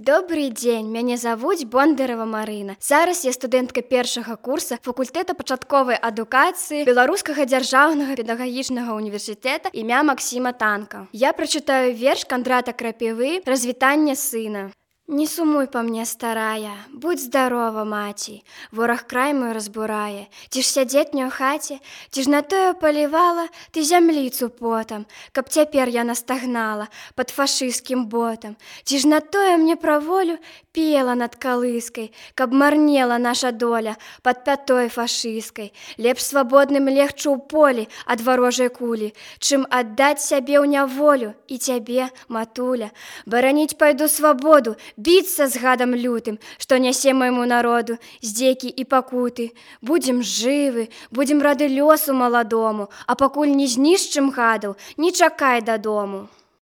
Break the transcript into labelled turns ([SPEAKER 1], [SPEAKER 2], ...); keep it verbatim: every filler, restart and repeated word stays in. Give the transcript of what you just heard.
[SPEAKER 1] Добрый дзень, мяне завуць Бондарова Марына. Зараз я студэнтка першага курса факультэта пачатковай адукацыі Беларускага дзяржаўнага педагагічнага універсітэта імя Максіма Танка. Я прачытаю верш Кандрата Крапівы «Развітанне сына». Не сумуй па мне, старая, будь здарова, маці, вораг край мой разбурае. Ці ж сядзець не ў хаце, ці ж на тое палівала ты зямліцу потам, каб цяпер я настагнала пад фашысцкім ботам. Ці ж на тое мне пра волю пела над калыскай, каб марнела наша доля пад пятой фашысцкай. Лепш свабодным легчы ў полі ад варожай кулі, чым аддаць сябе ў няволю і цябе, матуля. Бараніць пайду свабоду, біцца з гадам лютым, што нясе майму народу здзекі і пакуты. Будзем жывы, будзем рады лёсу маладому, а пакуль не знішчым гадаў, не чакай дадому.